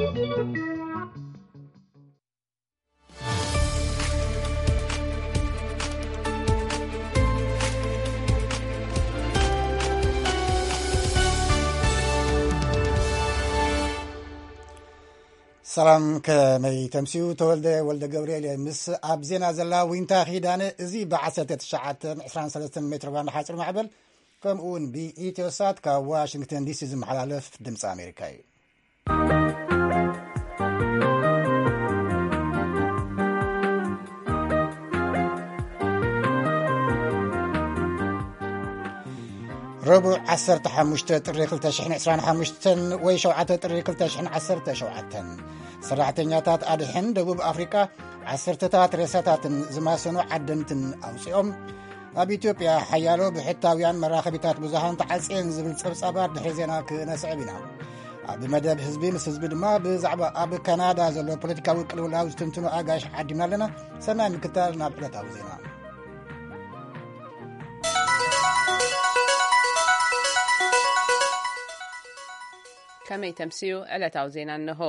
ሰላም፣ ከመይ ተምስዩ? ተወልደ ወልደ ገብርኤል እየ። ምስ ኣብ ዜና ዘላ ዊንታ ኪዳነ። እዚ ብ1923 ሜትሮ ባንድ ሓፂር ማዕበል፣ ከምኡ እውን ብኢትዮ ሳት ካብ ዋሽንግተን ዲሲ ዝመሓላለፍ ድምፂ ኣሜሪካ እዩ። ረቡዕ 15 ጥሪ 2025 ወይ 7 ጥሪ 2017፣ ሰራሕተኛታት ኣድሕን ደቡብ ኣፍሪቃ ዓሰርተታት ሬሳታትን ዝማሰኑ ዓደንትን ኣውፂኦም። ኣብ ኢትዮጵያ ሓያሎ ብሕታውያን መራኸቢታት ብዙሃን ተዓፅየን ዝብል ጸብጻባት ድሕሪ ዜና ክነስዕብ ኢና። ኣብ መደብ ህዝቢ ምስ ህዝቢ ድማ ብዛዕባ ኣብ ካናዳ ዘሎ ፖለቲካዊ ቅልውላው ዝትንትኑ ኣጋይሽ ዓዲምና ኣለና። ሰናይ ምክታል። ናብ ዕለታዊ ዜና። ከመይ ተምስዩ? ዕለታዊ ዜና እነሆ።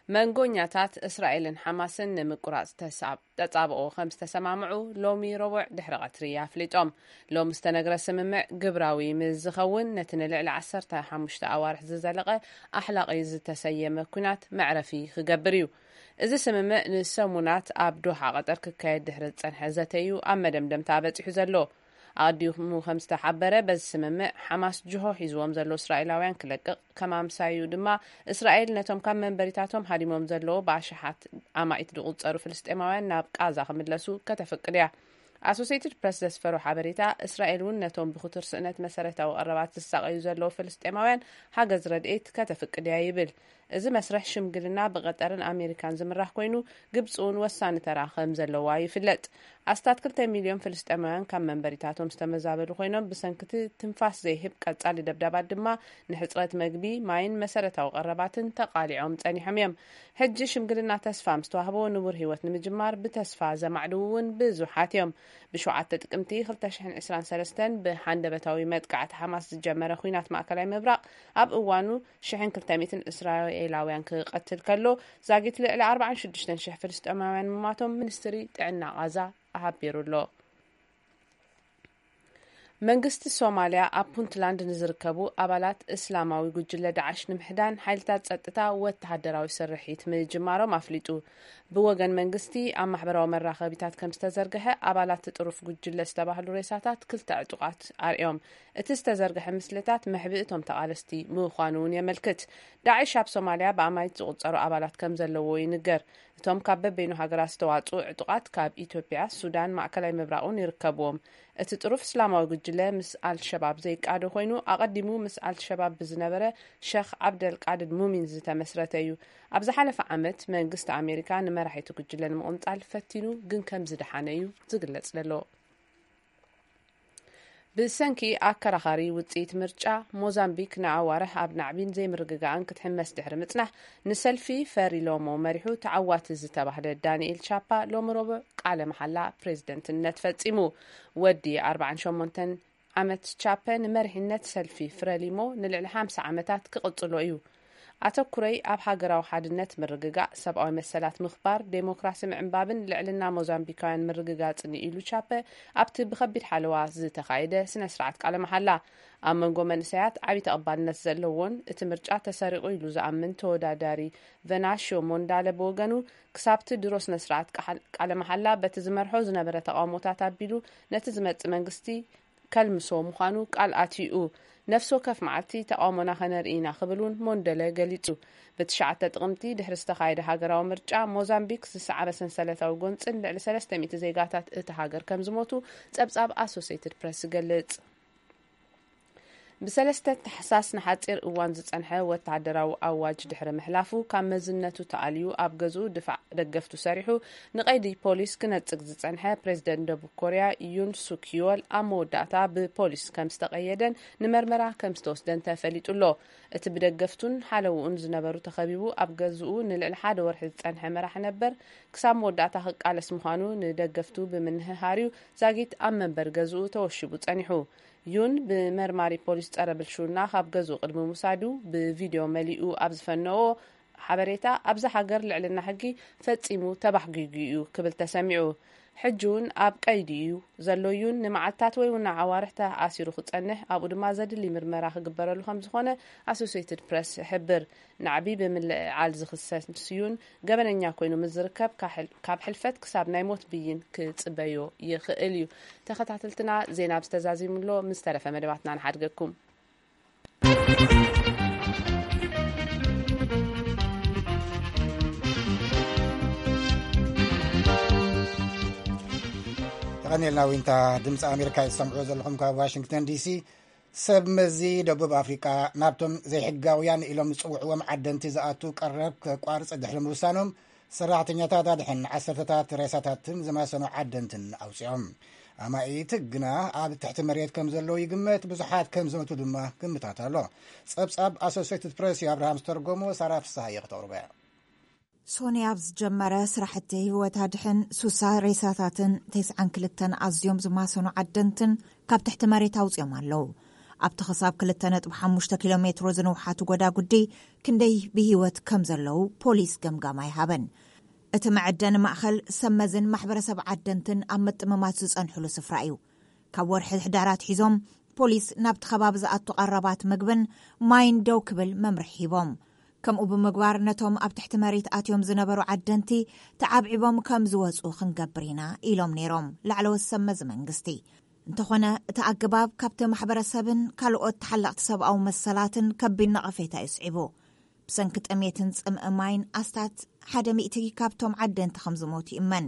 መንጎኛታት እስራኤልን ሓማስን ንምቁራጽ ተሳብ-፣ ተጻብኦ ከም ዝተሰማምዑ ሎሚ ረቡዕ ድሕሪ ቀትሪ ኣፍሊጦም። ሎም ዝተነግረ ስምምዕ ግብራዊ ምስ ዝኸውን፣ ነቲ ንልዕሊ 15 ኣዋርሕ ዝዘለቐ ኣሕላቒ ዝተሰየመ ኲናት መዕረፊ ክገብር እዩ። እዚ ስምምዕ ንሰሙናት ኣብ ዶሓ ቀጠር ክካየድ ድሕሪ ዝጸንሐ ዘተ እዩ ኣብ መደምደምታ በጺሑ ዘሎ። ኣቐዲሙ ከም ዝተሓበረ፣ በዚ ስምምዕ ሓማስ ጅሆ ሒዝዎም ዘለዉ እስራኤላውያን ክለቅቕ፣ ከም ኣምሳዩ ድማ እስራኤል ነቶም ካብ መንበሪታቶም ሃዲሞም ዘለዉ ብኣሽሓት ኣማኢት ዝቑጸሩ ፍልስጤማውያን ናብ ቃዛ ክምለሱ ከተፍቅድ እያ። ኣሶሴይትድ ፕረስ ዘስፈሮ ሓበሬታ፣ እስራኤል እውን ነቶም ብኽቱር ስእነት መሰረታዊ ቀረባት ዝሳቐዩ ዘለዉ ፍልስጤማውያን ሓገዝ ረድኤት ከተፍቅድ እያ ይብል። እዚ መስርሕ ሽምግልና ብቐጠርን ኣሜሪካን ዝምራሕ ኮይኑ፣ ግብፂ እውን ወሳኒ ተራ ከም ዘለዋ ይፍለጥ። ኣስታት 2 ሚልዮን ፍልስጤማውያን ካብ መንበሪታቶም ዝተመዛበሉ ኮይኖም፣ ብሰንክቲ ትንፋስ ዘይህብ ቀጻሊ ደብዳባት ድማ ንሕጽረት መግቢ፣ ማይን መሰረታዊ ቀረባትን ተቓሊዖም ጸኒሖም እዮም። ሕጂ ሽምግልና ተስፋ ምስ ተዋህቦ፣ ንቡር ህይወት ንምጅማር ብተስፋ ዘማዕድዉ እውን ብዙሓት እዮም። ብ7 ጥቅምቲ 2023 ብሃንደበታዊ መጥቃዕቲ ሓማስ ዝጀመረ ኲናት ማእከላይ ምብራቕ፣ ኣብ እዋኑ ሽሕን ክልተ ሚእትን እስራኤላውያን ክቐትል ከሎ፣ ዛጊት ልዕሊ 46,000 ፍልስጤማውያን ምማቶም ሚኒስትሪ ጥዕና ቓዛ ኣሃቢሩ ኣሎ። መንግስቲ ሶማልያ ኣብ ፑንትላንድ ንዝርከቡ ኣባላት እስላማዊ ጉጅለ ዳዕሽ ንምሕዳን ሓይልታት ጸጥታ ወተሃደራዊ ስርሒት ምጅማሮም ኣፍሊጡ። ብወገን መንግስቲ፣ ኣብ ማሕበራዊ መራኸቢታት ከም ዝተዘርግሐ፣ ኣባላት እቲ ጥሩፍ ጉጅለ ዝተባህሉ ሬሳታት ክልተ ዕጡቓት ኣርእዮም። እቲ ዝተዘርግሐ ምስልታት መሕብኢ እቶም ተቓለስቲ ምዃኑ እውን የመልክት። ዳዕሽ ኣብ ሶማልያ ብኣማኢት ዝቑጸሩ ኣባላት ከም ዘለዎ ይንገር። እቶም ካብ በበይኑ ሃገራት ዝተዋጽኡ ዕጡቓት ካብ ኢትዮጵያ፣ ሱዳን፣ ማእከላይ ምብራቕ እውን ይርከብዎም። እቲ ጥሩፍ እስላማዊ ጉጅለ ምስ ኣልሸባብ ዘይቃዶ ኮይኑ፣ ኣቐዲሙ ምስ ኣልሸባብ ብዝነበረ ሸኽ ዓብደል ቃድር ሙሚን ዝተመስረተ እዩ። ኣብ ዝሓለፈ ዓመት መንግስቲ ኣሜሪካ ንመራሒ እቲ ጉጅለ ንምቕንጻል ፈቲኑ፣ ግን ከም ዝደሓነ እዩ ዝግለጽ ዘሎ። ብሰንኪ ኣከራኻሪ ውጽኢት ምርጫ፣ ሞዛምቢክ ንኣዋርሕ ኣብ ናዕቢን ዘይምርግጋእን ክትሕመስ ድሕሪ ምጽናሕ፣ ንሰልፊ ፈሪሎሞ መሪሑ ተዓዋቲ ዝተባህለ ዳንኤል ቻፓ ሎሚ ረቡዕ ቃለ መሓላ ፕሬዝደንትነት ፈጺሙ። ወዲ 48 ዓመት ቻፐ ንመሪሕነት ሰልፊ ፍረሊሞ ንልዕሊ 50 ዓመታት ክቕጽሎ እዩ። ኣተኩረይ ኣብ ሃገራዊ ሓድነት ምርግጋእ፣ ሰብኣዊ መሰላት ምኽባር፣ ዴሞክራሲ ምዕንባብን ልዕልና ሞዛምቢካውያን ምርግጋጽን እዩ ኢሉ ቻፐ ኣብቲ ብኸቢድ ሓለዋ ዝተኻየደ ስነ ስርዓት ቃለ መሓላ። ኣብ መንጎ መንእሰያት ዓቢ ተቐባልነት ዘለዎን እቲ ምርጫ ተሰሪቑ ኢሉ ዝኣምን ተወዳዳሪ ቨናሽዮ ሞንዳለ ብወገኑ፣ ክሳብቲ ድሮ ስነ ስርዓት ቃል-፣ ቃለ መሓላ በቲ ዝመርሖ ዝነበረ ተቓውሞታት ኣቢሉ ነቲ ዝመጽእ መንግስቲ ከልምሶ ምዃኑ ቃል ኣትዩ። ነፍሲ ወከፍ መዓልቲ ተቓውሞና ከነርኢ ኢና ክብል እውን ሞንደለ ገሊጹ። ብ9 ጥቕምቲ ድሕሪ ዝተኻየደ ሃገራዊ ምርጫ፣ ሞዛምቢክ ዝሰዓበ ሰንሰለታዊ ጎንጽን ልዕሊ 300 ዜጋታት እታ ሃገር ከም ዝሞቱ ጸብጻብ ኣሶሴይትድ ፕረስ ይገልጽ። ብ3 ታሕሳስ ንሓጺር እዋን ዝጸንሐ ወተሃደራዊ ኣዋጅ ድሕሪ ምሕላፉ፣ ካብ መዝነቱ ተኣልዩ ኣብ ገዝኡ ድፋዕ ደገፍቱ ሰሪሑ ንቐይዲ ፖሊስ ክነጽግ ዝጸንሐ ፕሬዝደንት ደቡብ ኮርያ ዩን ሱክ ዮል፣ ኣብ መወዳእታ ብፖሊስ ከም ዝተቐየደን ንመርመራ ከም ዝተወስደን ተፈሊጡ ኣሎ። እቲ ብደገፍቱን ሓለውኡን ዝነበሩ ተኸቢቡ ኣብ ገዝኡ ንልዕሊ ሓደ ወርሒ ዝጸንሐ መራሒ ነበር፣ ክሳብ መወዳእታ ክቃለስ ምዃኑ ንደገፍቱ ብምንህሃርዩ ዛጊት ኣብ መንበሪ ገዝኡ ተወሺቡ ጸኒሑ። ዩን ብመርማሪ ፖሊስ ጸረ ብልሽውና ካብ ገዝኡ ቅድሚ ምውሳዱ፣ ብቪድዮ መሊኡ ኣብ ዝፈነዎ ሓበሬታ፣ ኣብዛ ሃገር ልዕልና ሕጊ ፈጺሙ ተባሕጒጉ እዩ ክብል ተሰሚዑ። ሕጂ እውን ኣብ ቀይዲ እዩ ዘሎ እዩን፣ ንመዓልታት ወይ እውን ንኣዋርሕ ተኣሲሩ ክጸንሕ፣ ኣብኡ ድማ ዘድሊ ምርመራ ክግበረሉ ከም ዝኾነ ኣሶሴትድ ፕረስ ይሕብር። ናዕቢ ብምልዕዓል ዝኽሰስ እዩን፣ ገበነኛ ኮይኑ ምስ ዝርከብ፣ ካብ ሕል-፣ ካብ ሕልፈት ክሳብ ናይ ሞት ብይን ክጽበዮ ይኽእል እዩ። ተኸታተልትና፣ ዜና ብዝተዛዚሙሎ ምስ ተረፈ መደባትና ንሓድገኩም። የቐንየልና ዊንታ። ድምፂ ኣሜሪካ እዩ ዝሰምዑ ዘለኹም ካብ ዋሽንግተን ዲሲ። ሰብ መዚ ደቡብ ኣፍሪቃ ናብቶም ዘይሕጋውያን ኢሎም ዝፅውዕዎም ዓደንቲ ዝኣቱ ቀረብ ከቋርፅ ድሕሪ ምውሳኖም፣ ሰራሕተኛታት ኣድሕን ዓሰርተታት ሬሳታትን ዝማሰኑ ዓደንትን ኣውፅኦም። ኣማኢት ግና ኣብ ትሕቲ መሬት ከም ዘለዉ ይግመት፣ ብዙሓት ከም ዝሞቱ ድማ ግምታት ኣሎ። ጸብጻብ ኣሶሴትድ ፕሬስ እዩ ኣብርሃም ዝተርጎሞ፣ ሳራ ፍስሃየ ክተቕርቦ እያ። ሶኒ ኣብ ዝጀመረ ስራሕቲ ህይወት ኣድሕን፣ ሱሳ ሬሳታትን ተስዓን ክልተን ኣዝዮም ዝማሰኑ ዓደንትን ካብ ትሕቲ መሬት ኣውፅኦም ኣለዉ። ኣብቲ ክሳብ ክልተ ነጥቢ ሓሙሽተ ኪሎ ሜትሮ ዝንውሓቱ ጎዳጉዲ ክንደይ ብህይወት ከም ዘለዉ ፖሊስ ገምጋም ኣይሃበን። እቲ መዐደኒ ማእኸል ሰብ መዝን ማሕበረሰብ ዓደንትን ኣብ ምጥምማት ዝጸንሕሉ ስፍራ እዩ። ካብ ወርሒ ሕዳር ኣትሒዞም ፖሊስ ናብቲ ከባቢ ዝኣቱ ቀረባት ምግብን ማይን ደው ክብል መምርሒ ሂቦም። ከምኡ ብምግባር ነቶም ኣብ ትሕቲ መሬት ኣትዮም ዝነበሩ ዓደንቲ ተዓብዒቦም ከም ዝወጹ ክንገብር ኢና ኢሎም ነይሮም ላዕለዎት ሰብ መዚ መንግስቲ። እንተኾነ እቲ ኣገባብ ካብቲ ማሕበረሰብን ካልኦት ተሓለቕቲ ሰብኣዊ መሰላትን ከቢድ ነቐፌታ እዩ ስዒቡ። ብሰንኪ ጥሜትን ጽምኢ ማይን ኣስታት ሓደ ሚእቲ ካብቶም ዓደንቲ ከም ዝሞቱ ይእመን።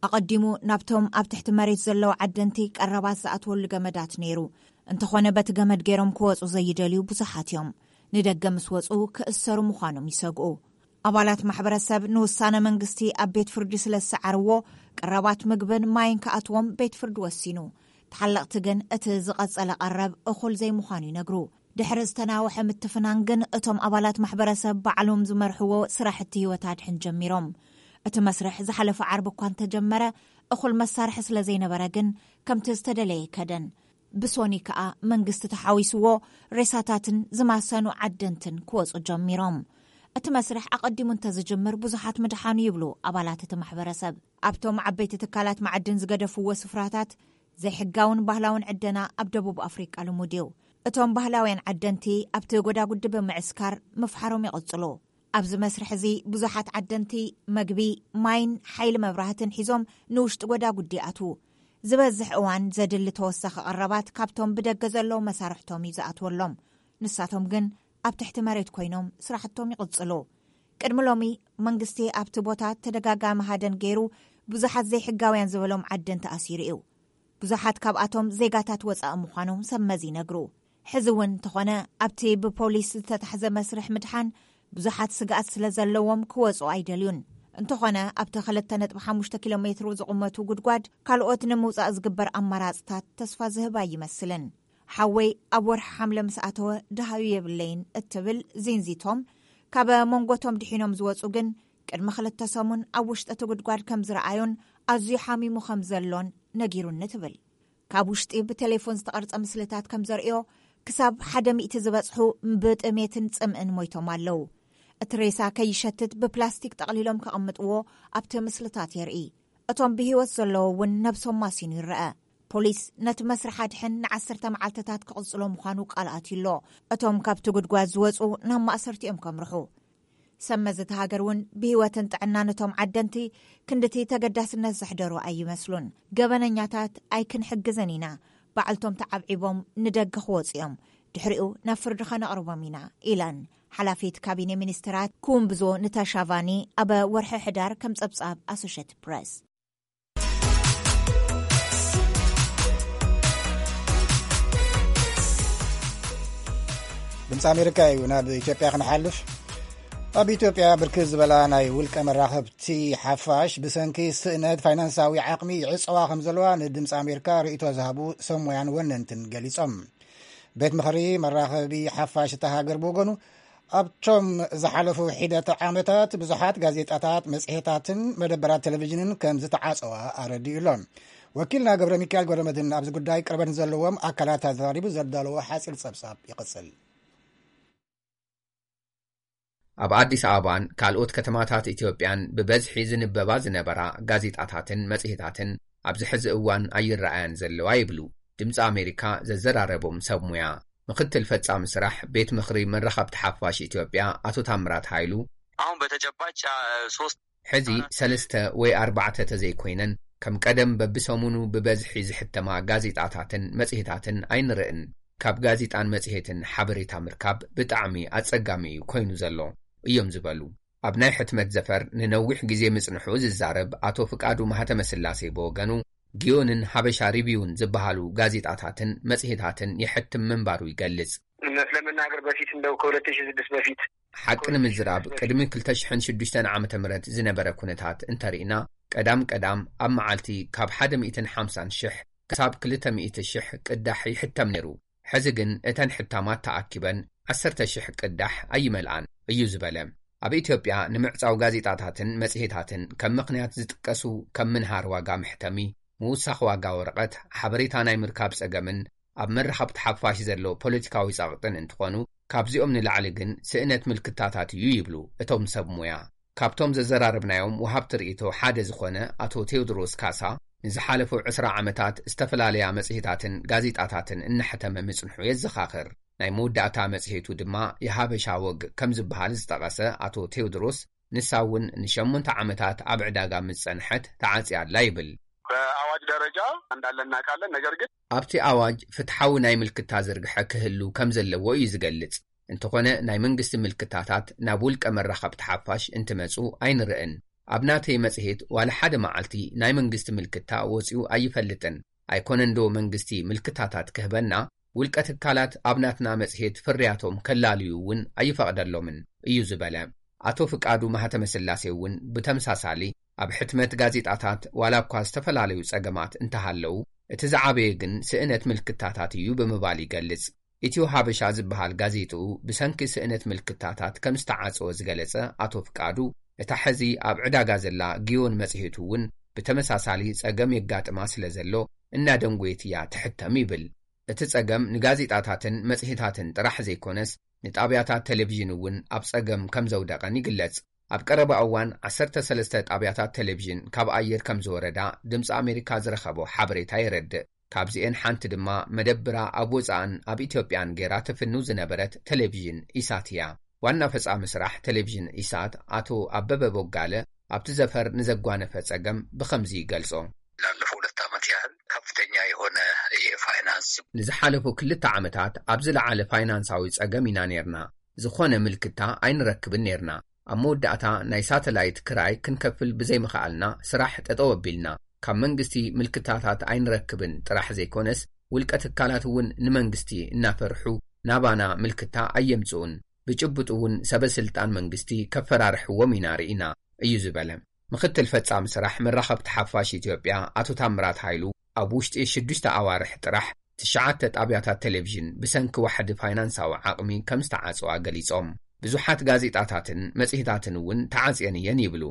ኣቐዲሙ ናብቶም ኣብ ትሕቲ መሬት ዘለዉ ዓደንቲ ቀረባት ዝኣትወሉ ገመዳት ነይሩ። እንተኾነ በቲ ገመድ ገይሮም ክወጹ ዘይደልዩ ብዙሓት እዮም። ንደገ ምስ ወጹ ክእሰሩ ምዃኖም ይሰግኡ። ኣባላት ማሕበረሰብ ንውሳነ መንግስቲ ኣብ ቤት ፍርዲ ስለ ዝሰዓርዎ፣ ቀረባት ምግብን ማይን ክኣትዎም ቤት ፍርዲ ወሲኑ። ተሓለቕቲ ግን እቲ ዝቐጸለ ቀረብ እኹል ዘይምዃኑ ይነግሩ። ድሕሪ ዝተናውሐ ምትፍናን ግን እቶም ኣባላት ማሕበረሰብ ባዕሎም ዝመርሕዎ ስራሕቲ ህይወት ኣድሕን ጀሚሮም። እቲ መስርሕ ዝሓለፈ ዓርቢ እኳ እንተጀመረ፣ እኹል መሳርሒ ስለ ዘይነበረ ግን ከምቲ ዝተደለየ ከደን። ብሶኒ ከኣ መንግስቲ ተሓዊስዎ ሬሳታትን ዝማሰኑ ዓደንትን ክወጹ ጀሚሮም። እቲ መስርሕ ኣቐዲሙ እንተዝጅምር ብዙሓት ምድሓኑ ይብሉ ኣባላት እቲ ማሕበረሰብ። ኣብቶም ዓበይቲ ትካላት መዓድን ዝገደፍዎ ስፍራታት ዘይሕጋውን ባህላውን ዕደና ኣብ ደቡብ ኣፍሪቃ ልሙድ እዩ። እቶም ባህላውያን ዓደንቲ ኣብቲ ጎዳጉዲ ብምዕስካር ምፍሓሮም ይቕጽሉ። ኣብዚ መስርሕ እዚ ብዙሓት ዓደንቲ መግቢ፣ ማይን ሓይሊ መብራህትን ሒዞም ንውሽጢ ጎዳጉዲ ይኣትዉ። ዝበዝሕ እዋን ዘድሊ ተወሳኺ ቀረባት ካብቶም ብደገ ዘለዉ መሳርሕቶም እዩ ዝኣትወሎም። ንሳቶም ግን ኣብ ትሕቲ መሬት ኮይኖም ስራሕቶም ይቕጽሉ። ቅድሚ ሎሚ መንግስቲ ኣብቲ ቦታ ተደጋጋሚ ሃደን ገይሩ ብዙሓት ዘይሕጋውያን ዝበሎም ዓደንቲ ኣሲሩ እዩ። ብዙሓት ካብኣቶም ዜጋታት ወጻኢ ምዃኖም ሰብ መዚ ይነግሩ። ሕዚ እውን እንተኾነ ኣብቲ ብፖሊስ ዝተታሕዘ መስርሕ ምድሓን ብዙሓት ስግኣት ስለ ዘለዎም ክወጹ ኣይደልዩን። እንተኾነ ኣብቲ ክልተ ነጥቢ ሓሙሽተ ኪሎ ሜትሮ ዝቕመቱ ጉድጓድ ካልኦት ንምውጻእ ዝግበር ኣማራጽታት ተስፋ ዝህብ ኣይመስልን። ሓወይ ኣብ ወርሒ ሓምለ ምስ ኣተወ ደሃዩ የብለይን እትብል ዚንዚቶም፣ ካብ መንጎቶም ድሒኖም ዝወጹ ግን ቅድሚ ክልተ ሰሙን ኣብ ውሽጢ እቲ ጉድጓድ ከም ዝረኣዮን ኣዝዩ ሓሚሙ ከም ዘሎን ነጊሩኒ ትብል። ካብ ውሽጢ ብቴሌፎን ዝተቐርጸ ምስልታት ከም ዘርእዮ፣ ክሳብ ሓደ ሚእቲ ዝበጽሑ ብጥሜትን ጽምእን ሞይቶም ኣለዉ። እቲ ሬሳ ከይሸትት ብፕላስቲክ ጠቕሊሎም ከቐምጥዎ ኣብቲ ምስልታት የርኢ። እቶም ብህይወት ዘለዉ እውን ነብሶም ማሲኑ ይረአ። ፖሊስ ነቲ መስርሕ ኣድሕን ንዓሰርተ መዓልትታት ክቕጽሎ ምዃኑ ቃል ኣትዩ ኣሎ። እቶም ካብቲ ጉድጓድ ዝወጹ ናብ ማእሰርቲ እዮም ከምርሑ። ሰብ መዚ እቲ ሃገር እውን ብህይወትን ጥዕናን እቶም ዓደንቲ ክንድቲ ተገዳስነት ዘሕደሩ ኣይመስሉን። ገበነኛታት ኣይክንሕግዝን ኢና፣ ባዕልቶም ተዓብዒቦም ንደገ ክወፁ እዮም፣ ድሕሪኡ ናብ ፍርዲ ከነቕርቦም ኢና ኢለን ሓላፊት ካቢኔ ሚኒስትራት ኩምብዞ ንታሻቫኒ ኣብ ወርሒ ሕዳር ከም ጸብጻብ ኣሶሼትድ ፕረስ። ድምፂ ኣሜሪካ እዩ። ናብ ኢትዮጵያ ክንሓልፍ፣ ኣብ ኢትዮጵያ ብርክት ዝበላ ናይ ውልቀ መራኸብቲ ሓፋሽ ብሰንኪ ስእነት ፋይናንሳዊ ዓቕሚ ይዕፀዋ ከም ዘለዋ ንድምፂ ኣሜሪካ ርእይቶ ዝሃቡ ሰብ ሞያን ወነንትን ገሊፆም። ቤት ምኽሪ መራኸቢ ሓፋሽ እታ ሃገር ብወገኑ ኣብቶም ዝሓለፉ ሒደት ዓመታት ብዙሓት ጋዜጣታት፣ መፅሄታትን መደበራት ቴሌቪዥንን ከም ዝተዓፀዋ ኣረዲኡ ኣሎ። ወኪልና ገብረ ሚካኤል ገብረ መድህን ኣብዚ ጉዳይ ቅርበት ዘለዎም ኣካላት ኣዘራሪቡ ዘዳለዎ ሓፂር ፀብፃብ ይቕፅል። ኣብ ኣዲስ ኣበባን ካልኦት ከተማታት ኢትዮጵያን ብበዝሒ ዝንበባ ዝነበራ ጋዜጣታትን መጽሔታትን ኣብዚ ሕዚ እዋን ኣይረኣያን ዘለዋ ይብሉ ድምፂ ኣሜሪካ ዘዘራረቦም ሰብ ሙያ። ምክትል ፈጻሚ ስራሕ ቤት ምኽሪ መራኸብቲ ሓፋሽ ኢትዮጵያ ኣቶ ታምራት ሃይሉ፣ አሁን በተጨባጭ ሶስት ሕዚ ሰለስተ ወይ ኣርባዕተ ተዘይኮይነን ከም ቀደም በብሰሙኑ ብበዝሒ ዝሕተማ ጋዜጣታትን መጽሔታትን ኣይንርእን። ካብ ጋዜጣን መጽሔትን ሓበሬታ ምርካብ ብጣዕሚ ኣጸጋሚ እዩ ኮይኑ ዘሎ እዮም ዝበሉ ኣብ ናይ ሕትመት ዘፈር ንነዊሕ ግዜ ምጽንሑ ዝዛረብ ኣቶ ፍቃዱ ማህተመ ስላሴ ብወገኑ፣ ጊዮንን ሓበሻ ሪቪውን ዝበሃሉ ጋዜጣታትን መጽሔታትን ይሕትም ምንባሩ ይገልጽ። እውነት ለመናገር በፊት እንደው ከሁለት ሺህ ስድስት በፊት ሓቂ ንምዝራብ ቅድሚ ክልተ ሽሕን ሽዱሽተን ዓመተ ምህረት ዝነበረ ኩነታት እንተርኢና፣ ቀዳም ቀዳም ኣብ መዓልቲ ካብ ሓደ ሚእትን ሓምሳን ሽሕ ክሳብ ክልተ ሚእቲ ሽሕ ቅዳሕ ይሕተም ነይሩ። ሕዚ ግን እተን ሕታማት ተኣኪበን ዓሰርተ ሽሕ ቅዳሕ ኣይመልኣን እዩ ዝበለ። ኣብ ኢትዮጵያ ንምዕጻው ጋዜጣታትን መጽሔታትን ከም ምኽንያት ዝጥቀሱ ከም ምንሃር ዋጋ መሕተሚ፣ ምውሳኽ ዋጋ ወረቐት፣ ሓበሬታ ናይ ምርካብ ጸገምን ኣብ መራኸብቲ ሓፋሽ ዘሎ ፖለቲካዊ ጸቕጥን እንትኾኑ፣ ካብዚኦም ንላዕሊ ግን ስእነት ምልክታታት እዩ ይብሉ እቶም ሰብ ሙያ። ካብቶም ዘዘራረብናዮም ወሃብቲ ርእይቶ ሓደ ዝኾነ ኣቶ ቴዎድሮስ ካሳ፣ ንዝሓለፉ ዕስራ ዓመታት ዝተፈላለያ መጽሔታትን ጋዜጣታትን እናሕተመ ምጽንሑ የዘኻኽር። ናይ መወዳእታ መጽሔቱ ድማ የሃበሻ ወግ ከም ዝበሃል ዝጠቐሰ ኣቶ ቴዎድሮስ፣ ንሳ እውን ንሸሞንተ ዓመታት ኣብ ዕዳጋ ምስ ጸንሐት ተዓጽያ ኣላ ይብል። በአዋጅ ደረጃ እንዳለ እናውቃለን። ነገር ግን ኣብቲ ኣዋጅ ፍትሓዊ ናይ ምልክታ ዝርግሐ ክህሉ ከም ዘለዎ እዩ ዝገልጽ። እንተኾነ ናይ መንግስቲ ምልክታታት ናብ ውልቀ መራኸብቲ ሓፋሽ እንትመጹ ኣይንርእን። ኣብ ናተይ መጽሔት ዋላ ሓደ መዓልቲ ናይ መንግስቲ ምልክታ ወጺኡ ኣይፈልጥን። ኣይኮነንዶ መንግስቲ ምልክታታት ክህበና፣ ውልቀ ትካላት ኣብ ናትና መጽሔት ፍርያቶም ከላልዩ እውን ኣይፈቕደሎምን እዩ ዝበለ። ኣቶ ፍቃዱ ማህተመ ስላሴ እውን ብተመሳሳሊ ኣብ ሕትመት ጋዜጣታት ዋላ እኳ ዝተፈላለዩ ጸገማት እንተሃለዉ፣ እቲ ዝዓበየ ግን ስእነት ምልክታታት እዩ ብምባል ይገልጽ። ኢትዮ ሃበሻ ዝበሃል ጋዜጥኡ ብሰንኪ ስእነት ምልክታታት ከም ዝተዓጸወ ዝገለጸ ኣቶ ፍቃዱ፣ እታ ሕዚ ኣብ ዕዳጋ ዘላ ጊዮን መጽሔቱ እውን ብተመሳሳሊ ጸገም የጋጥማ ስለ ዘሎ እናደንጎየት እያ ትሕተም ይብል። እቲ ጸገም ንጋዜጣታትን መጽሔታትን ጥራሕ ዘይኮነስ ንጣብያታት ቴሌቪዥን እውን ኣብ ጸገም ከም ዘውደቐን ይግለጽ። ኣብ ቀረባ እዋን ዓሰርተ ሰለስተ ጣብያታት ቴሌቪዥን ካብ ኣየር ከም ዝወረዳ ድምፂ ኣሜሪካ ዝረኸቦ ሓበሬታ የረድእ። ካብዚኤን ሓንቲ ድማ መደብራ ኣብ ወፃእን ኣብ ኢትዮጵያን ገይራ ትፍንው ዝነበረት ቴሌቪዥን ኢሳት እያ። ዋና ፈፃሚ ስራሕ ቴሌቪዥን ኢሳት ኣቶ ኣበበ ቦጋለ ኣብቲ ዘፈር ንዘጓነፈ ፀገም ብኸምዚ ይገልጾ። ላለፈው ሁለት ዓመት ያህል ከፍተኛ የሆነ የፋይናንስ ንዝሓለፉ ክልተ ዓመታት ኣብ ዝለዓለ ፋይናንሳዊ ጸገም ኢና ኔርና። ዝኾነ ምልክታ ኣይንረክብን ኔርና። ኣብ መወዳእታ ናይ ሳተላይት ክራይ ክንከፍል ብዘይምኽኣልና ስራሕ ጠጠው ኣቢልና። ካብ መንግስቲ ምልክታታት ኣይንረክብን ጥራሕ ዘይኮነስ ውልቀ ትካላት እውን ንመንግስቲ እናፈርሑ ናባና ምልክታ ኣየምጽኡን። ብጭቡጥ እውን ሰበ ስልጣን መንግስቲ ከፈራርሕዎም ኢና ርኢና እዩ ዝበለ። ምክትል ፈጻሚ ስራሕ መራኸብቲ ሓፋሽ ኢትዮጵያ ኣቶ ታምራት ሃይሉ ኣብ ውሽጢ ሽዱሽተ ኣዋርሕ ጥራሕ ትሽዓተ ጣብያታት ቴሌቪዥን ብሰንኪ ዋሕዲ ፋይናንሳዊ ዓቕሚ ከም ዝተዓጽዋ ገሊጾም። ብዙሓት ጋዜጣታትን መጽሔታትን እውን ተዓጽየን እየን ይብሉ።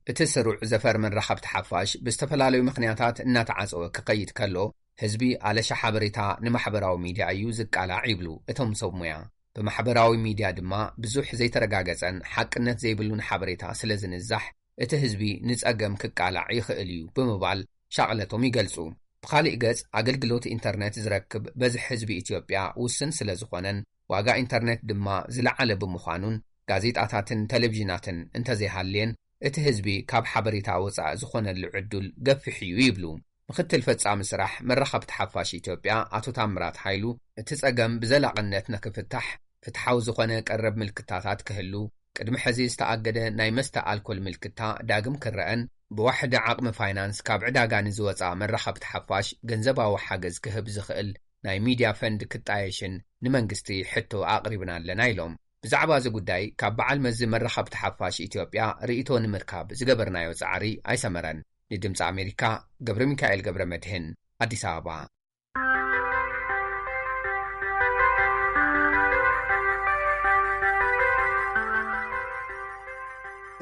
እቲ ስሩዕ ዘፈር መራኸብቲ ሓፋሽ ብዝተፈላለዩ ምኽንያታት እናተዓጸወ ክኸይድ ከሎ፣ ህዝቢ ኣለሻ ሓበሬታ ንማሕበራዊ ሚድያ እዩ ዝቃላዕ ይብሉ እቶም ሰብ ሙያ። ብማሕበራዊ ሚድያ ድማ ብዙሕ ዘይተረጋገጸን ሓቅነት ዘይብሉን ሓበሬታ ስለ ዝንዛሕ፣ እቲ ህዝቢ ንጸገም ክቃላዕ ይኽእል እዩ ብምባል ሻቕለቶም ይገልጹ። ብኻሊእ ገጽ፣ ኣገልግሎት ኢንተርነት ዝረክብ በዝሒ ህዝቢ ኢትዮጵያ ውስን ስለ ዝኾነን ዋጋ ኢንተርነት ድማ ዝለዓለ ብምዃኑን ጋዜጣታትን ቴሌቪዥናትን እንተዘይሃልየን እቲ ህዝቢ ካብ ሓበሬታ ወጻኢ ዝኾነሉ ዕዱል ገፊሕ እዩ ይብሉ። ምክትል ፈጻሚ ስራሕ መራኸብቲ ሓፋሽ ኢትዮጵያ ኣቶ ታምራት ሃይሉ፣ እቲ ጸገም ብዘላቕነት ንክፍታሕ ፍትሓዊ ዝኾነ ቀረብ ምልክታታት ክህሉ፣ ቅድሚ ሕዚ ዝተኣገደ ናይ መስተ ኣልኮል ምልክታ ዳግም ክረአን፣ ብዋሕዲ ዓቕሚ ፋይናንስ ካብ ዕዳጋ ንዝወጻ መራኸብቲ ሓፋሽ ገንዘባዊ ሓገዝ ክህብ ዝኽእል ናይ ሚድያ ፈንድ ክጣየሽን ንመንግስቲ ሕቶ ኣቕሪብና ኣለና ኢሎም። ብዛዕባ እዚ ጉዳይ ካብ በዓል መዚ መራኸብቲ ሓፋሽ ኢትዮጵያ ርእይቶ ንምርካብ ዝገበርናዮ ጻዕሪ ኣይሰመረን። ንድምፂ ኣሜሪካ ገብረ ሚካኤል ገብረ መድህን ኣዲስ ኣበባ።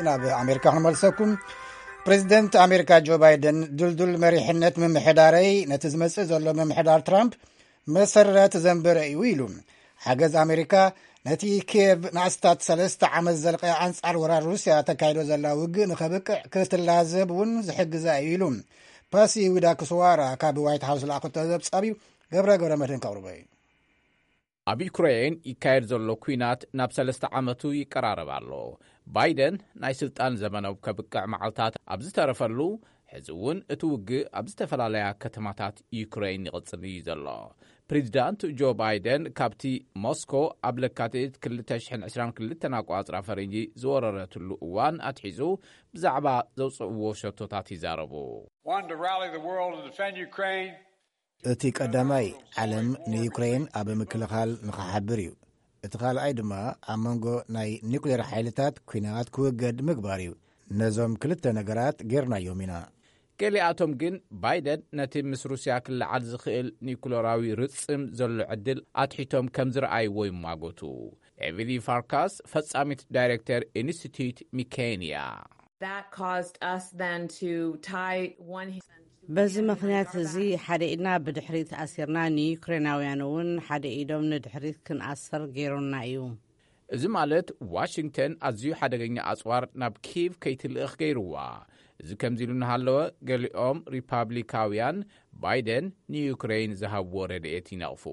ናብ ኣሜሪካ ክንመልሰኩም። ፕሬዚደንት ኣሜሪካ ጆ ባይደን ድልዱል መሪሕነት ምምሕዳረይ ነቲ ዝመጽእ ዘሎ ምምሕዳር ትራምፕ መሰረት ዘንበረ እዩ ኢሉ። ሓገዝ ኣሜሪካ ነቲ ኪየቭ ንኣስታት ሰለስተ ዓመት ዘልቀ ኣንጻር ወራር ሩስያ ተካይዶ ዘላ ውግእ ንኸብቅዕ ክትላዘብ እውን ዝሕግዛ እዩ ኢሉ። ፓሲ ዊዳክስዋራ ካብ ዋይት ሃውስ ዝለኣኸቶ ዘብጻብ እዩ። ገብረ ገብረ መድህን ከቕርቦ እዩ። ኣብ ዩክሬን ይካየድ ዘሎ ኲናት ናብ ሰለስተ ዓመቱ ይቀራረብ ኣሎ። ባይደን ናይ ስልጣን ዘመኖም ከብቅዕ መዓልታት ኣብ ዝተረፈሉ፣ ሕዚ እውን እቲ ውግእ ኣብ ዝተፈላለያ ከተማታት ዩክሬን ይቕጽል እዩ ዘሎ። ፕሬዚዳንት ጆ ባይደን ካብቲ ሞስኮ ኣብ ለካቲት ክልተ ሽሕን ዕስራን ክልተን ኣቋጽራ ፈረንጂ ዝወረረትሉ እዋን ኣትሒዙ ብዛዕባ ዘውፅእዎ ሸቶታት ይዛረቡ። One, to rally the world to defend Ukraine. እቲ ቀዳማይ፣ ዓለም ንዩክሬን ኣብ ምክልኻል ንኽሓብር እዩ። እቲ ካልኣይ ድማ ኣብ መንጎ ናይ ኒኩሌር ሓይልታት ኲናት ክውገድ ምግባር እዩ። ነዞም ክልተ ነገራት ጌርናዮም ኢና። ገሊኣቶም ግን ባይደን ነቲ ምስ ሩስያ ክለዓል ዝኽእል ኒኩለራዊ ርጽም ዘሎ ዕድል ኣትሒቶም ከም ዝረኣይዎ ይማጎቱ። ኤቪሊ ፋርካስ ፈጻሚት ዳይሬክተር ኢንስቲትዩት ሚኬን እያ። That caused us then to tie one hand. በዚ ምኽንያት እዚ ሓደ ኢድና ብድሕሪት ኣሲርና፣ ንዩክሬናውያን እውን ሓደ ኢዶም ንድሕሪት ክንኣስር ገይሩና እዩ። እዚ ማለት ዋሽንግተን ኣዝዩ ሓደገኛ ኣጽዋር ናብ ኪቭ ከይትልእኽ ገይርዋ። እዚ ከምዚ ኢሉ እናሃለወ፣ ገሊኦም ሪፓብሊካውያን ባይደን ንዩክሬን ዝሃብዎ ረድኤት ይነቕፉ።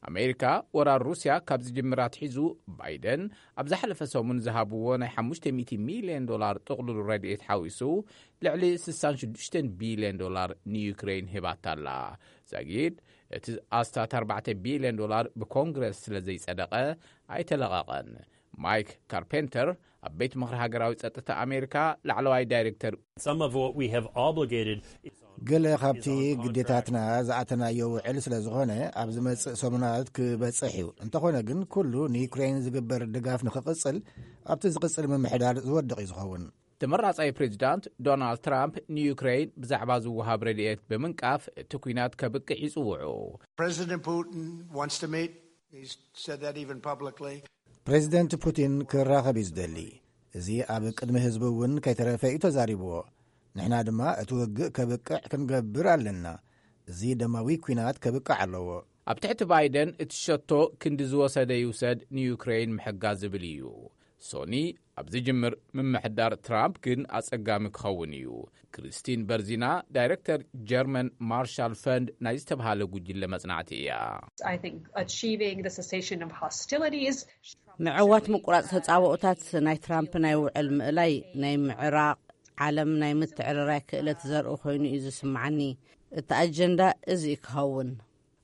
ኣሜሪካ ወራር ሩስያ ካብ ዝጅምር ኣትሒዙ፣ ባይደን ኣብ ዝሓለፈ ሰሙን ዝሃብዎ ናይ ሓሙሽተ ሚእቲ ሚልዮን ዶላር ጥቕሉል ረድኤት ሓዊሱ ልዕሊ ስሳን ሽዱሽተን ቢልዮን ዶላር ንዩክሬን ሂባታ ኣላ። ዛጊድ እቲ ኣስታት ኣርባዕተ ቢልዮን ዶላር ብኮንግረስ ስለ ዘይጸደቐ ኣይተለቐቐን። ማይክ ካርፔንተር ኣብ ቤት ምኽሪ ሃገራዊ ጸጥታ ኣሜሪካ ላዕለዋይ ዳይሬክተር። Some of what we have obligated is on ገለ ካብቲ ግዴታትና ዝኣተናዮ ውዕል ስለ ዝኾነ ኣብ ዝመጽእ ሰሙናት ክበጽሕ እዩ። እንተኾነ ግን ኩሉ ንዩክሬን ዝግበር ድጋፍ ንኽቕጽል ኣብቲ ዝቕጽል ምምሕዳር ዝወድቕ እዩ ዝኸውን። ተመራጻይ ፕሬዚዳንት ዶናልድ ትራምፕ ንዩክሬን ብዛዕባ ዝወሃብ ረድኤት ብምንቃፍ እቲ ኲናት ከብቅዕ ይጽውዑ። President Putin wants to meet. He's said that even publicly. ፕሬዚደንት ፑቲን ክራኸብ እዩ ዝደሊ። እዚ ኣብ ቅድሚ ህዝቢ እውን ከይተረፈ እዩ ተዛሪብዎ። ንሕና ድማ እቲ ውግእ ከብቅዕ ክንገብር ኣለና። እዚ ደማዊ ኲናት ከብቅዕ ኣለዎ። ኣብ ትሕቲ ባይደን እቲ ሸቶ ክንዲ ዝወሰደ ይውሰድ ንዩክሬን ምሕጋዝ ዝብል እዩ። ሶኒ ኣብ ዝጅምር ምምሕዳር ትራምፕ ግን ኣጸጋሚ ክኸውን እዩ። ክሪስቲን በርዚና ዳይሬክተር ጀርመን ማርሻል ፈንድ ናይ ዝተብሃለ ጉጅለ መጽናዕቲ እያ። I think achieving the cessation of hostilities. ምዕዋት ምቁራጽ ተጻብኦታት ናይ ትራምፕ ናይ ውዕል ምእላይ ናይ ምዕራቕ ዓለም ናይ ምትዕርራይ ክእለት ዘርኢ ኮይኑ እዩ ዝስምዓኒ። እቲ ኣጀንዳ እዚ እዩ ክኸውን።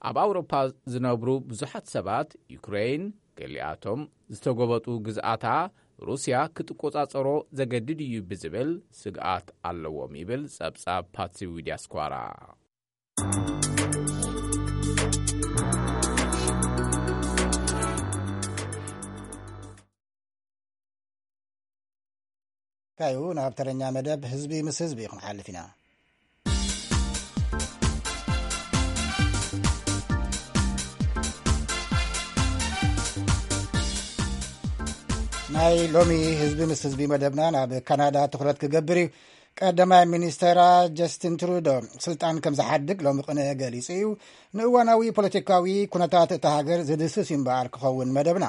ኣብ ኣውሮፓ ዝነብሩ ብዙሓት ሰባት ዩክሬን ገሊኣቶም ዝተጎበጡ ግዝኣታ ሩስያ ክትቆጻጸሮ ዘገድድ እዩ ብዝብል ስግኣት ኣለዎም ይብል ጸብጻብ ፓትሲ ዊድያስኳራ። ካዩ ናብ ተረኛ መደብ ህዝቢ ምስ ህዝቢ ክንሓልፍ ኢና። ናይ ሎሚ ህዝቢ ምስ ህዝቢ መደብና ናብ ካናዳ ትኹረት ክገብር እዩ። ቀዳማይ ሚኒስተራ ጀስቲን ትሩዶ ስልጣን ከም ዝሓድግ ሎሚ ቅነ ገሊጹ እዩ። ንእዋናዊ ፖለቲካዊ ኩነታት እታ ሃገር ዝድስስ እዩ እምበኣር ክኸውን መደብና።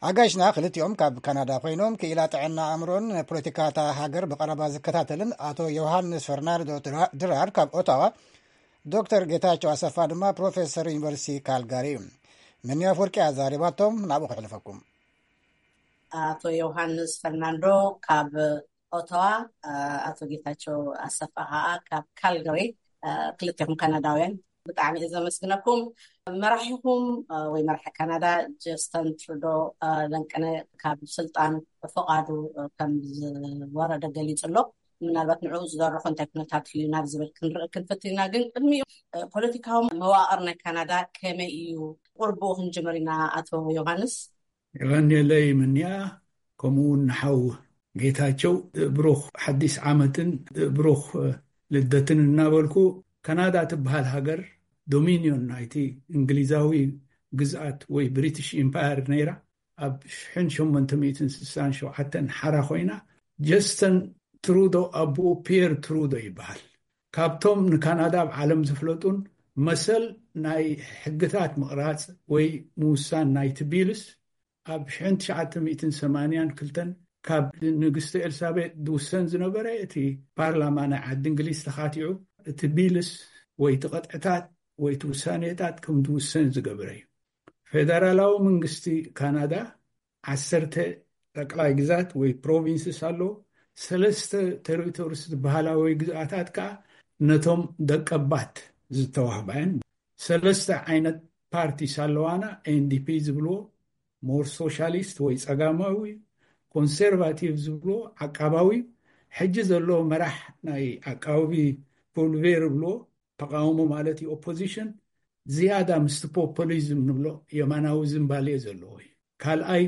ኣጋይሽና ክልቲኦም ካብ ካናዳ ኮይኖም ክኢላ ጥዕና ኣእምሮን ፖለቲካ እታ ሃገር ብቐረባ ዝከታተልን ኣቶ ዮሃንስ ፈርናንዶ ድራ- ድራር ካብ ኦታዋ፣ ዶክተር ጌታቸው ኣሰፋ ድማ ፕሮፌሰር ዩኒቨርሲቲ ካልጋሪ እዩ። ምንያ ኣፈወርቂ ኣዛሪባቶም ናብኡ ክሕልፈኩም። ኣቶ ዮሃንስ ፈርናንዶ ካብ ኦቶዋ፣ ኣቶ ጌታቸው ኣሰፋ ከዓ ካብ ካልጋሪ። ክልቴኹም ካናዳውያን ብጣዕሚ እየ ዘመስግነኩም። መራሒኹም ወይ መራሒ ካናዳ ጀስተን ትሩዶ ለንቅነ ካብ ስልጣን ፍቓዱ ከም ዝወረደ ገሊጹ ኣሎ። ምናልባት ንዕኡ ዝደረኾ እንታይ ኩነታት እዩ ናብ ዝብል ክንርኢ ክንፍትን ኢና። ግን ቅድሚኡ ፖለቲካዊ መዋቕር ናይ ካናዳ ከመይ እዩ? ቁርብኡ ክንጅምር ኢና። ኣቶ ዮሃንስ። የቐንየለይ ምንያ፣ ከምኡ እውን ንሓው ጌታቸው ብሩኽ ሓዲስ ዓመትን ብሩኽ ልደትን እናበልኩ፣ ካናዳ ትበሃል ሃገር ዶሚንዮን ናይቲ እንግሊዛዊ ግዝኣት ወይ ብሪቲሽ ኢምፓየር ነይራ። ኣብ ሽሕን ሸሞንተ ሚእትን ስሳን ሸውዓተን ሓራ ኮይና፣ ጀስተን ትሩዶ ኣቦኡ ፒየር ትሩዶ ይበሃል። ካብቶም ንካናዳ ኣብ ዓለም ዝፍለጡን መሰል ናይ ሕግታት ምቕራጽ ወይ ምውሳን ናይቲ ቢልስ ኣብ ሽሕን ትሽዓተ ሚእትን ሰማንያን ክልተን ካብ ንግስቲ ኤልሳቤጥ ዝውሰን ዝነበረ፣ እቲ ፓርላማ ናይ ዓዲ እንግሊዝ ተኻቲዑ፣ እቲ ቢልስ ወይ እቲ ቅጥዕታት ወይ እቲ ውሳኔታት ከም ዝውሰን ዝገብረ እዩ። ፌደራላዊ መንግስቲ ካናዳ ዓሰርተ ጠቅላይ ግዛት ወይ ፕሮቪንስስ ኣለዎ። ሰለስተ ቴሪቶሪስ ዝበሃላ ወይ ግዝኣታት ከዓ ነቶም ደቀባት ዝተዋህባየን። ሰለስተ ዓይነት ፓርቲስ ኣለዋና፣ ኤንዲፒ ዝብልዎ፣ ሞር ሶሻሊስት ወይ ጸጋማዊ፣ ኮንሰርቫቲቭ ዝብልዎ፣ ዓቃባዊ። ሕጂ ዘሎ መራሕ ናይ ዓቃቢ፣ ፖልቬር ዝብልዎ፣ ተቃውሞ ማለት እዩ፣ ኦፖዚሽን፣ ዝያዳ ምስቲ ፖፖሊዝም ንብሎ የማናዊ ዝንባሌ ዘለዎ እዩ። ካልኣይ፣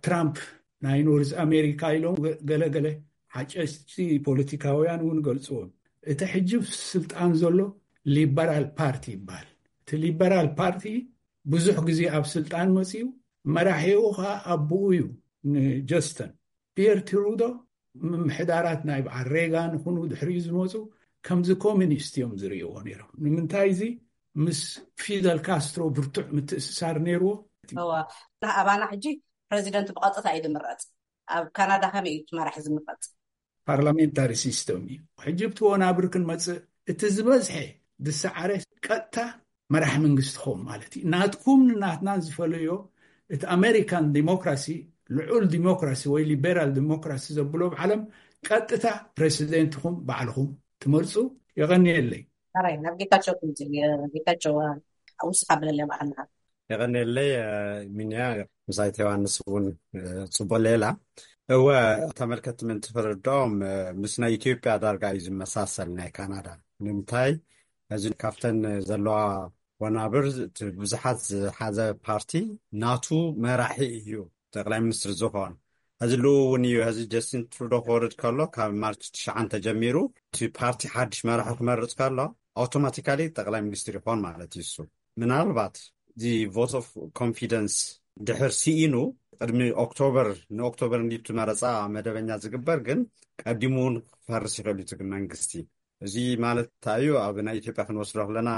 ትራምፕ ናይ ኖርዝ ኣሜሪካ ኢሎም ገለገለ ሓጨስቲ ፖለቲካውያን እውን ገልፅዎም። እቲ ሕጂ ስልጣን ዘሎ ሊበራል ፓርቲ ይበሃል። እቲ ሊበራል ፓርቲ ብዙሕ ግዜ ኣብ ስልጣን መፅዩ፣ መራሒኡ ከዓ ኣቦኡ እዩ። ንጀስተን ፒየር ትሩዶ፣ ምምሕዳራት ናይ በዓል ሬጋን ይኹኑ ድሕሪኡ ዝመፁ ከምዚ ኮሚኒስት እዮም ዝርእይዎ ነይሮም። ንምንታይ? እዚ ምስ ፊደል ካስትሮ ብርቱዕ ምትእስሳር ነይርዎ። ኣባና ሕጂ ፕሬዚደንት ብቐጥታ እዩ ዝምረፅ። ኣብ ካናዳ ከመይ እዩ እቲ መራሒ ዝምረፅ? ፓርላሜንታሪ ሲስተም እዩ። ሕጂ ብቲ ወናብር ክንመፅእ፣ እቲ ዝበዝሐ ዝሰዓረ ቀጥታ መራሕ መንግስቲ ክኸውን ማለት እዩ። ናትኩም ንናትናን ዝፈለዮ፣ እቲ ኣሜሪካን ዲሞክራሲ፣ ልዑል ዲሞክራሲ ወይ ሊቤራል ዲሞክራሲ ዘብሎ ኣብ ዓለም፣ ቀጥታ ፕሬሲደንትኹም ባዕልኹም ትመርፁ። የቐንየለይ። ራይ ናብ ጌታቸው ክምፅእ። ጌታቸው፣ ውስኻ ብለለ ባዕልኻ። የቐንየለይ። ሚንያ፣ ምሳይት ዮሃንስ እውን ፅቡቅ ሌላ። እወ፣ ተመልከትቲ ምእንቲ ክርድኦም፣ ምስ ናይ ኢትዮጵያ ዳርጋ እዩ ዝመሳሰል ናይ ካናዳ። ንምንታይ? እዚ ካብተን ዘለዋ ወናብር፣ እቲ ብዙሓት ዝሓዘ ፓርቲ ናቱ መራሒ እዩ ጠቅላይ ሚኒስትር ዝኾን። እዚ ልኡ እውን እዩ። እዚ ጀስቲን ትሩዶ ክወርድ ከሎ፣ ካብ ማርች ትሽዓን ተጀሚሩ፣ እቲ ፓርቲ ሓድሽ መራሒ ክመርፅ ከሎ፣ ኣውቶማቲካሊ ጠቅላይ ሚኒስትር ይኾን ማለት እዩ። እሱ ምናልባት እዚ ቮት ኦፍ ኮንፊደንስ ድሕር ስኢኑ፣ ቅድሚ ኦክቶበር፣ ንኦክቶበር እንዲቱ መረፃ መደበኛ ዝግበር፣ ግን ቀዲሙ እውን ክፈርስ ይኽእል እዩ እቲ መንግስቲ። እዚ ማለት እንታይ እዩ? ኣብ ናይ ኢትዮጵያ ክንወስዶ ከለና፣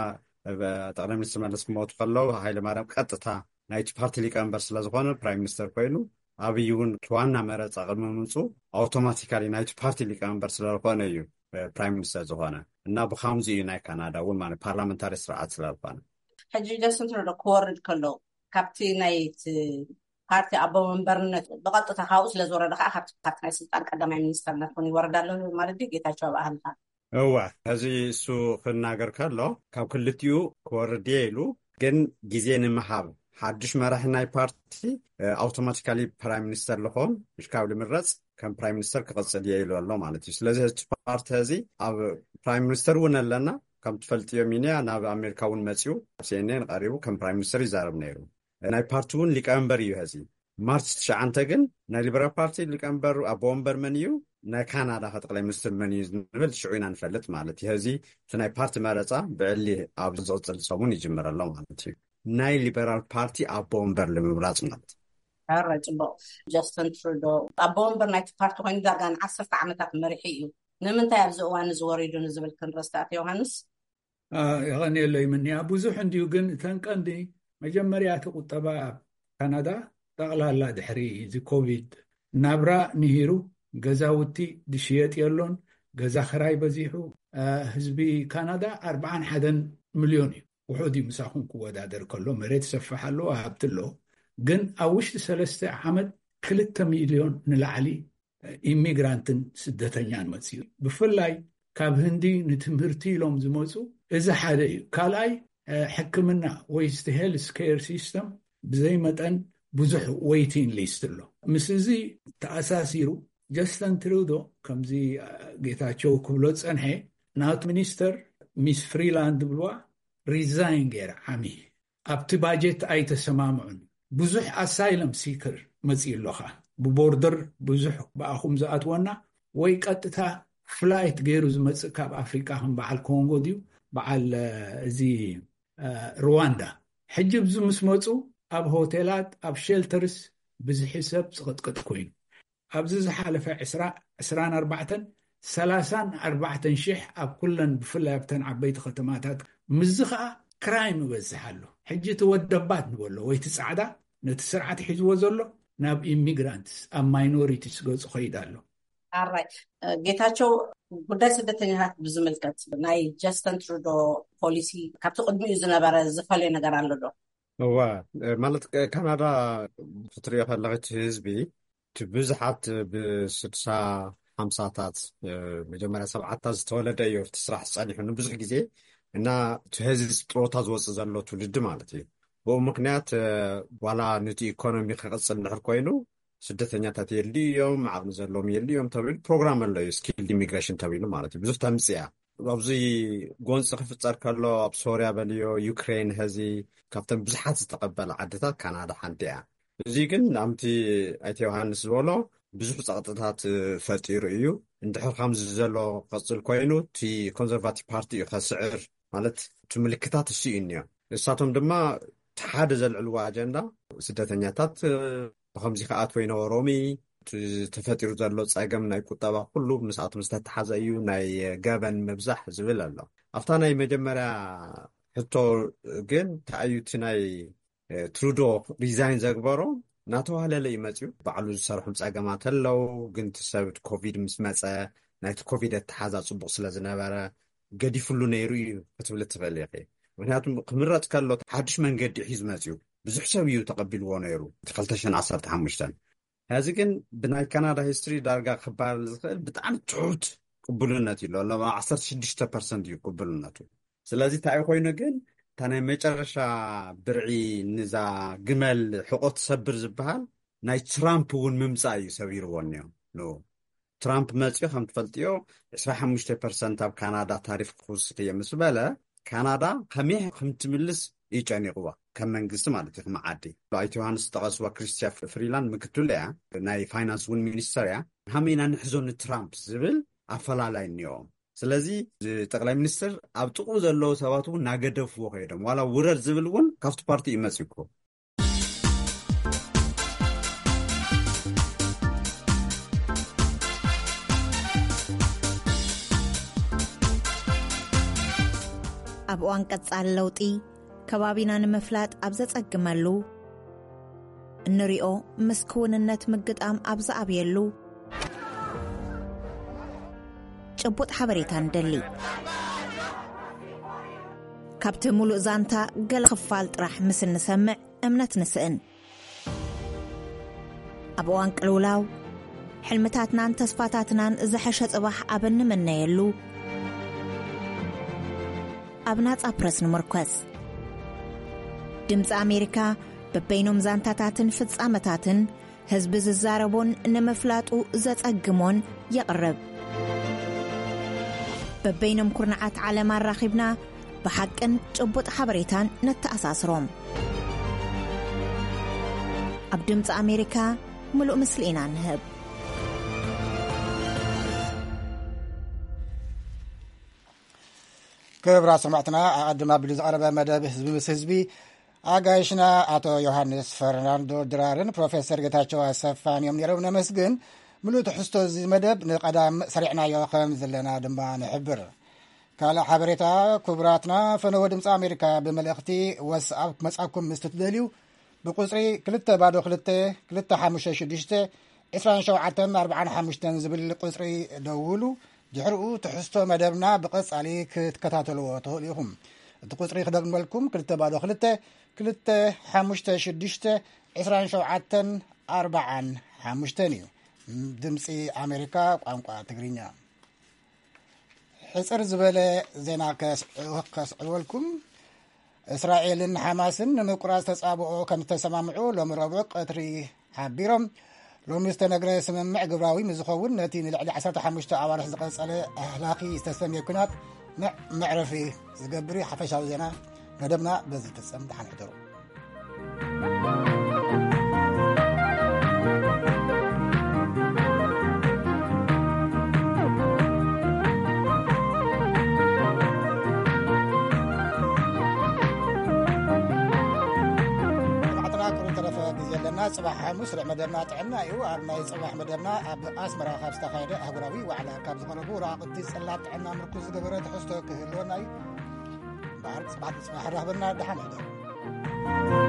ጠቅላይ ሚኒስትር መለስ ክመቱ ከለዉ፣ ሃይለ ማርያም ቀጥታ ናይቲ ፓርቲ ሊቀመንበር ስለዝኾነ፣ ፕራይም ሚኒስተር ኮይኑ፣ ኣብይ እውን ዋና መረፃ ቅድሚ ምምፁ፣ ኣውቶማቲካሊ ናይቲ ፓርቲ ሊቀመንበር ስለዝኾነ እዩ ፕራይም ሚኒስተር ዝኾነ። እና ብካምዚ እዩ ናይ ካናዳ እውን፣ ማለት ፓርላመንታሪ ስርዓት ስለዝኾነ። ሕጂ ጀስቲን ትሩዶ ክወርድ ከሎ፣ ካብቲ ናይቲ ፓርቲ ኣቦ መንበርነት ብቐጥታ ካብኡ ስለዝወረደ ከዓ፣ ካብቲ ፓርቲ ናይ ስልጣን ቀዳማይ ሚኒስተርነት እውን ይወርድ ኣሎ ማለት ድዩ? ጌታቸው ኣበሃ። እወ፣ እዚ እሱ ክናገር ከሎ፣ ካብ ክልቲኡ ክወርድ እየ ኢሉ፣ ግን ግዜ ንምሃብ፣ ሓድሽ መራሒ ናይ ፓርቲ፣ እ፣ ኣውቶማቲካሊ ፕራይም ሚኒስተር ልኾን፣ ካብ ልምረፅ ከም ፕራይም ሚኒስተር ክቕፅል እየ ኢሉ ኣሎ ማለት እዩ። ስለዚ እቲ ፓርቲ እዚ ኣብ ፕራይም ሚኒስተር እውን ኣለና። ከም ትፈልጥዮ፣ ሚንያ ናብ ኣሜሪካ እውን መፅዩ፣ ኣብ ሲ ኤን ኤን ቀሪቡ ከም ፕራይም ሚኒስተር ይዛረብ ነይሩ። ናይ ፓርቲ እውን ሊቀመንበር እዩ። ሕዚ ማርች ትሽዓተ ግን ናይ ሊበራል ፓርቲ ሊቀመንበር ኣቦ ወንበር መን እዩ፣ ናይ ካናዳ ከ ጠቅላይ ሚኒስትር መን እዩ ንብል ሽዑ ኢና ንፈልጥ ማለት እዩ። ሕዚ እቲ ናይ ፓርቲ መረፃ ብዕሊ ኣብ ዝቕፅል ሰሙን ይጅምር ኣሎ ማለት እዩ። ናይ ሊበራል ፓርቲ ኣቦ ወንበር ንምምራፅ ማለት እዩ። ሕረ ፅቡቅ። ጀስትን ትሩዶ ኣቦ ወንበር ናይቲ ፓርቲ ኮይኑ ዳርጋ ንዓሰርተ ዓመታት መሪሑ እዩ። ንምንታይ ኣብዚ እዋን እዚ ወሪዱ ንዝብል ክንረስታት ዮሃንስ? የቐንየለይ ምንያ። ብዙሕ እንድዩ፣ ግን እተን ቀንዲ መጀመርያ እቲ ቁጠባ ኣብ ካናዳ ጠቕላላ ድሕሪ እዚ ኮቪድ ናብራ ንሂሩ፣ ገዛውቲ ድሽየጥ የሎን፣ ገዛ ክራይ በዚሑ። ህዝቢ ካናዳ ኣርብዓን ሓደን ሚልዮን እዩ። ውሑድ እዩ ምሳኹም ክወዳደር ከሎ፣ መሬት ሰፍሕ ኣለዎ፣ ሃብቲ ኣለዎ። ግን ኣብ ውሽጢ ሰለስተ ዓመት ክልተ ሚልዮን ንላዕሊ ኢሚግራንትን ስደተኛን መፅዩ። ብፍላይ ካብ ህንዲ ንትምህርቲ ኢሎም ዝመፁ፣ እዚ ሓደ እዩ። ካልኣይ ሕክምና ወይ ስ ሄልስ ኬር ሲስተም ብዘይ መጠን ብዙሕ ዌይቲንግ ሊስት ኣሎ። ምስ እዚ ተኣሳሲሩ ጀስተን ትሩዶ ከምዚ ጌታቸው ክብሎ ዝፀንሐ፣ ናቱ ሚኒስተር ሚስ ፍሪላንድ ብልዋ ሪዛይን ገይረ ዓሚ ኣብቲ ባጀት ኣይተሰማምዑን። ብዙሕ ኣሳይለም ሲከር መፅኡ ኣለኻ፣ ብቦርደር ብዙሕ ብኣኹም ዝኣትወና ወይ ቀጥታ ፍላይት ገይሩ ዝመፅእ ካብ ኣፍሪቃ ከም በዓል ኮንጎ ድዩ በዓል እዚ ሩዋንዳ። ሕጂ ብዚ ምስ መፁ ኣብ ሆቴላት ኣብ ሸልተርስ ብዝሒ ሰብ ዝቕጥቅጥ ኮይኑ ኣብዚ ዝሓለፈ ዕስራን ኣርባዕተን ሰላሳን ኣርባዕተን ሽሕ ኣብ ኩለን ብፍላይ ኣብተን ዓበይቲ ከተማታት። ምስዚ ከዓ ክራይም ይበዝሕ ኣሎ። ሕጂ እቲ ወደባት ንበሎ ወይ እቲ ፃዕዳ ነቲ ስርዓት ሒዝዎ ዘሎ ናብ ኢሚግራንትስ፣ ኣብ ማይኖሪቲስ ገጹ ከይድ ኣሎ። ኣራይ ጌታቸው፣ ጉዳይ ስደተኛታት ብዝምልከት ናይ ጀስተን ትሩዶ ፖሊሲ ካብቲ ቅድሚኡ ዝነበረ ዝፈልዮ ነገር ኣሎ ዶ? እዋ፣ ማለት ካናዳ ክትሪኦ ከለኺ፣ እቲ ህዝቢ፣ እቲ ብዙሓት ብስድሳ ሓምሳታት፣ መጀመርያ ሰብዓታት ዝተወለደ እዩ እቲ ስራሕ ጸኒሑ ንብዙሕ ግዜ። እና እቲ ህዝቢ ጥሮታ ዝወፅእ ዘሎ ትውልዲ ማለት እዩ። ብኡ ምክንያት ዋላ ነቲ ኢኮኖሚ ክቕፅል እንድሕር ኮይኑ፣ ስደተኛታት የድልዩ እዮም፣ ዓቕሚ ዘለዎም የድልዩ እዮም ተባሂሉ ፕሮግራም ኣሎ እዩ፣ ስኪልድ ኢሚግሬሽን ተባሂሉ ማለት እዩ። ብዙሕ ተምፅያ ኣብዚ ጎንፂ ክፍፀር ከሎ፣ ኣብ ሶርያ በልዮ፣ ዩክሬን፣ ሀዚ ካብተን ብዙሓት ዝተቐበለ ዓድታት ካናዳ ሓንቲ እያ። እዚ ግን ናምቲ ኣይተ ዮሃንስ ዝበሎ ብዙሕ ፀቕጥታት ፈጢሩ እዩ። እንድሕር ከምዚ ዘሎ ክቕፅል ኮይኑ፣ እቲ ኮንዘርቫቲቭ ፓርቲ እዩ ከስዕር፣ ማለት እቲ ምልክታት እሱ እዩ እኒኦ። ንሳቶም ድማ እቲ ሓደ ዘልዕልዎ ኣጀንዳ፣ ስደተኛታት ብከምዚ ክኣትዎ ይነበሮም እዩ፣ እቲ ተፈጢሩ ዘሎ ፀገም ናይ ቁጠባ ኩሉ ምስኣቶም ዝተተሓዘ እዩ፣ ናይ ገበን ምብዛሕ ዝብል ኣሎ። ኣብታ ናይ መጀመርያ ሕቶ ግን ተኣዩ እቲ ናይ ትሩዶ ሪዛይን ዘግበሮ እናተዋህለለ እዩ መፅዩ። ባዕሉ ዝሰርሖም ፀገማት ኣለው፣ ግን እቲ ሰብ ኮቪድ ምስ መፀ፣ ናይቲ ኮቪድ ኣተሓዛ ፅቡቕ ስለ ዝነበረ ገዲፍሉ ነይሩ እዩ ክትብል ትኽእል ኢኺ። ምክንያቱም ክምረፅ ከሎ ሓዱሽ መንገዲ ሒዙ መፅዩ፣ ብዙሕ ሰብ እዩ ተቐቢልዎ ነይሩ እቲ ክልተ ሽሕን ዓሰርተ ሓሙሽተን። ሕዚ ግን ብናይ ካናዳ ሂስትሪ ዳርጋ ክባል ዝኽእል ብጣዕሚ ትሑት ቅቡልነት እዩ ኣሎ። ዓሰርተ ሽዱሽተ ፐርሰንት እዩ ቅቡልነቱ። ስለዚ እንታይ ኮይኑ ግን፣ እታ ናይ መጨረሻ ብርዒ ንዛ ግመል ሕቆ ትሰብር ዝበሃል ናይ ትራምፕ እውን ምምፃእ እዩ ሰቢርዎ እኒኦ። ን ትራምፕ መፅኡ ከም ትፈልጥዮ፣ ዕስራ ሓሙሽተ ፐርሰንት ኣብ ካናዳ ታሪፍ ክውስኽ እየ ምስ በለ፣ ካናዳ ከመይ ከም ትምልስ እዩ ጨኒቕዋ፣ ከም መንግስቲ ማለት እዩ፣ ከም ዓዲ። ኣይተ ዮሃንስ ዝጠቐስዋ ክሪስቲያ ፍሪላንድ ምክትሉ እያ፣ ናይ ፋይናንስ እውን ሚኒስተር እያ። ሃመይ ኢና ንሕዞ ንትራምፕ ዝብል ኣፈላላይ እኒኦም። ስለዚ ጠቅላይ ሚኒስትር ኣብ ጥቕኡ ዘለዉ ሰባት እውን ናገደፍዎ ከይዶም፣ ዋላ ውረድ ዝብል እውን ካብቲ ፓርቲ እዩ መፂኩ። ኣብ እዋን ቀጻሊ ለውጢ ከባቢና ንምፍላጥ ኣብ ዘጸግመሉ፣ እንሪኦ ምስ ክውንነት ምግጣም ኣብ ዝኣብየሉ፣ ጭቡጥ ሓበሬታ ንደሊ። ካብቲ ሙሉእ ዛንታ ገለ ክፋል ጥራሕ ምስ እንሰምዕ እምነት ንስእን። ኣብ እዋን ቅልውላው፣ ሕልምታትናን ተስፋታትናን ዝሐሸ ጽባሕ ኣብ እንምነየሉ፣ ኣብ ናጻ ፕረስ ንምርኮስ። ድምጺ ኣሜሪካ በበይኖም ዛንታታትን ፍጻመታትን ህዝቢ ዝዛረቦን ንምፍላጡ ዘጸግሞን የቕርብ። በበይኖም ኩርናዓት ዓለም ኣራኺብና ብሓቅን ጭቡጥ ሓበሬታን ነተኣሳስሮም። ኣብ ድምጺ ኣሜሪካ ምሉእ ምስሊ ኢና ንህብ። ክብራ ሰማዕትና፣ ኣቐድም ኣቢሉ ዝቐረበ መደብ ህዝቢ ምስ ህዝቢ፣ ኣጋይሽና ኣቶ ዮሃንስ ፈርናንዶ ድራርን ፕሮፌሰር ጌታቸው ኣሰፋን እዮም ነይሮም። ነመስግን። ምሉእ ትሕዝቶ እዚ መደብ ንቐዳም ሰሪዕናዮ ከም ዘለና ድማ ንሕብር። ካልእ ሓበሬታ፣ ክቡራትና ፈነወ ድምፂ ኣሜሪካ፣ ብመልእኽቲ ዋትስኣፕ ክመጻኩም ምስ ትደልዩ፣ ብቁጽሪ ክልተ ባዶ ክልተ፣ ክልተ ሓሙሽተ ሽዱሽተ፣ ዕስራን ሸውዓተን ኣርባዓን ሓሙሽተን ዝብል ቁጽሪ ደውሉ። ድሕሪኡ ትሕዝቶ መደብና ብቐጻሊ ክትከታተልዎ ትኽእሉ ኢኹም። እቲ ቁጽሪ ክደግመልኩም፣ ክልተ ባዶ ክልተ፣ ክልተ ሓሙሽተ ሽዱሽተ፣ ዕስራን ሸውዓተን ኣርባዓን ሓሙሽተን እዩ። ድምፂ ኣሜሪካ፣ ቋንቋ ትግርኛ። ሕጽር ዝበለ ዜና ከስዕወልኩም። እስራኤልን ሓማስን ንምቁራጽ ተጻብኦ ከም ዝተሰማምዑ ሎሚ ረቡዕ ቀትሪ ሓቢሮም። ሎሚ ዝተነግረ ስምምዕ ግብራዊ ምስ ዝኸውን፣ ነቲ ንልዕሊ ዓሰርተ ሓሙሽተ ኣዋርሕ ዝቐጸለ ኣህላኺ ዝተሰምየ ኲናት መዕ-፣ መዕረፊ ዝገብር እዩ። ሓፈሻዊ ዜና መደብና በዚ ይፍጸም። ደሓን ሕደሩ። ሰማዕትና፣ ክሩ ተረፈ ግዜ ኣለና። ጽባሕ ሓሙስ ርዕ መደብና ጥዕና እዩ። ኣብ ናይ ጽባሕ መደብና ኣብ ኣስመራ ካብ ዝተኻየደ ኣህጉራዊ ዋዕላ ካብ ዝቐረቡ ረቓቕቲ ጽላት ጥዕና ምርኩስ ዝገበረ ትሕዝቶ ክህልወና እዩ። እምበኣር፣ ጽባሕ ንጽባሕ ራኽበና። ደሓን ሕደሩ።